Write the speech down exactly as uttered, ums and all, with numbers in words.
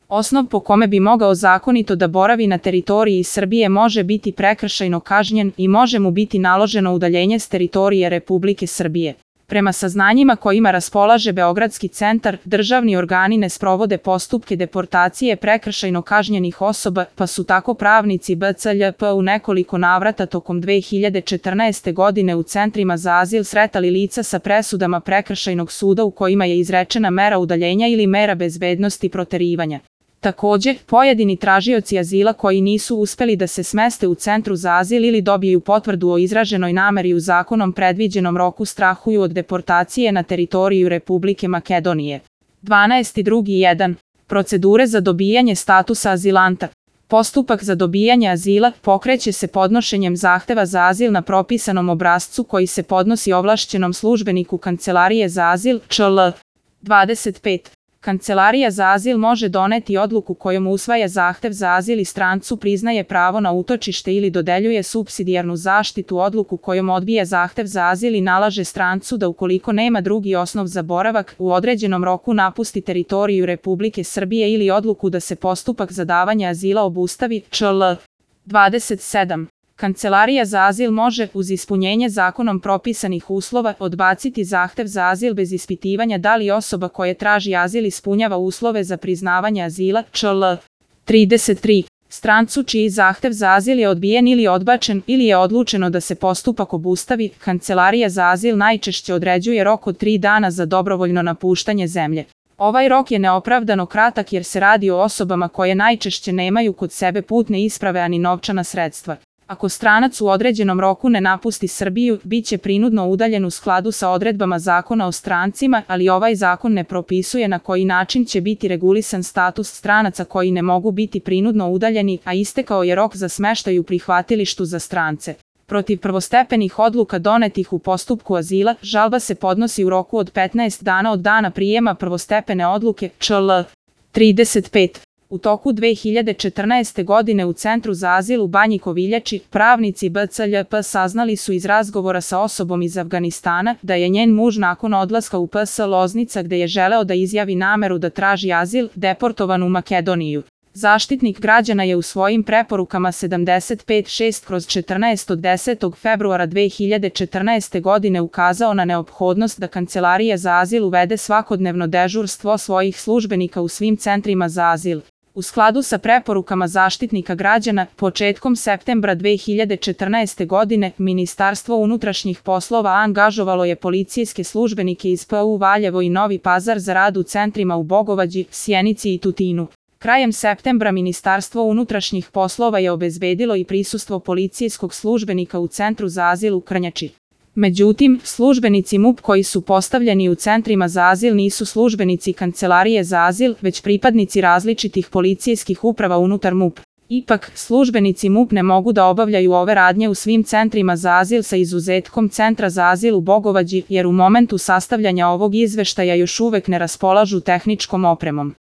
Osnov po kome bi mogao zakonito da boravi na teritoriji Srbije može biti prekršajno kažnjen i može mu biti naloženo udaljenje s teritorije Republike Srbije. Prema saznanjima kojima raspolaže Beogradski centar, državni organi ne sprovode postupke deportacije prekršajno kažnjenih osoba, pa su tako pravnici B C L P u nekoliko navrata tokom dve hiljade četrnaeste. godine u centrima za azil sretali lica sa presudama prekršajnog suda u kojima je izrečena mera udaljenja ili mera bezbednosti proterivanja. Takođe, pojedini tražioci azila koji nisu uspeli da se smeste u centru za azil ili dobiju potvrdu o izraženoj nameri u zakonom predviđenom roku strahuju od deportacije na teritoriju Republike Makedonije. dvanaest drugi jedan. Procedure za dobijanje statusa azilanta. Postupak za dobijanje azila pokreće se podnošenjem zahteva za azil na propisanom obrascu koji se podnosi ovlašćenom službeniku Kancelarije za azil Č L. dvadeset pet. Kancelarija za azil može doneti odluku kojom usvaja zahtev za azil i strancu priznaje pravo na utočište ili dodeljuje supsidijarnu zaštitu, odluku kojom odbija zahtev za azil i nalaže strancu da ukoliko nema drugi osnov za boravak u određenom roku napusti teritoriju Republike Srbije ili odluku da se postupak za davanje azila obustavi Č L. dvadeset sedam. Kancelarija za azil može, uz ispunjenje zakonom propisanih uslova, odbaciti zahtev za azil bez ispitivanja da li osoba koja traži azil ispunjava uslove za priznavanje azila Č L. trideset tri. Strancu čiji zahtev za azil je odbijen ili odbačen ili je odlučeno da se postupak obustavi, Kancelarija za azil najčešće određuje rok od tri dana za dobrovoljno napuštanje zemlje. Ovaj rok je neopravdano kratak jer se radi o osobama koje najčešće nemaju kod sebe putne isprave ani novčana sredstva. Ako stranac u određenom roku ne napusti Srbiju, bit će prinudno udaljen u skladu sa odredbama Zakona o strancima, ali ovaj zakon ne propisuje na koji način će biti regulisan status stranaca koji ne mogu biti prinudno udaljeni, a istekao je rok za smeštaj u prihvatilištu za strance. Protiv prvostepenih odluka donetih u postupku azila, žalba se podnosi u roku od petnaest dana od dana prijema prvostepene odluke Č L. trideset pet. U toku dve hiljade četrnaeste. godine u Centru za azil u Banji Koviljači, pravnici B C L P saznali su iz razgovora sa osobom iz Afganistana da je njen muž nakon odlaska u P S Loznica gde je želeo da izjavi nameru da traži azil, deportovan u Makedoniju. Zaštitnik građana je u svojim preporukama sedamdeset pet šest kroz četrnaest od desetog februara dve hiljade četrnaeste. godine ukazao na neophodnost da Kancelarija za azil uvede svakodnevno dežurstvo svojih službenika u svim centrima za azil. U skladu sa preporukama Zaštitnika građana, početkom septembra dve hiljade četrnaeste. godine Ministarstvo unutrašnjih poslova angažovalo je policijske službenike iz P U Valjevo i Novi Pazar za rad u centrima u Bogovađi, Sjenici i Tutinu. Krajem septembra Ministarstvo unutrašnjih poslova je obezbedilo i prisustvo policijskog službenika u Centru za azil u Krnjači. Međutim, službenici M U P koji su postavljeni u centrima za azil nisu službenici Kancelarije za azil, već pripadnici različitih policijskih uprava unutar M U P. Ipak, službenici M U P ne mogu da obavljaju ove radnje u svim centrima za azil sa izuzetkom Centra za azil u Bogovađi, jer u momentu sastavljanja ovog izveštaja još uvek ne raspolažu tehničkom opremom.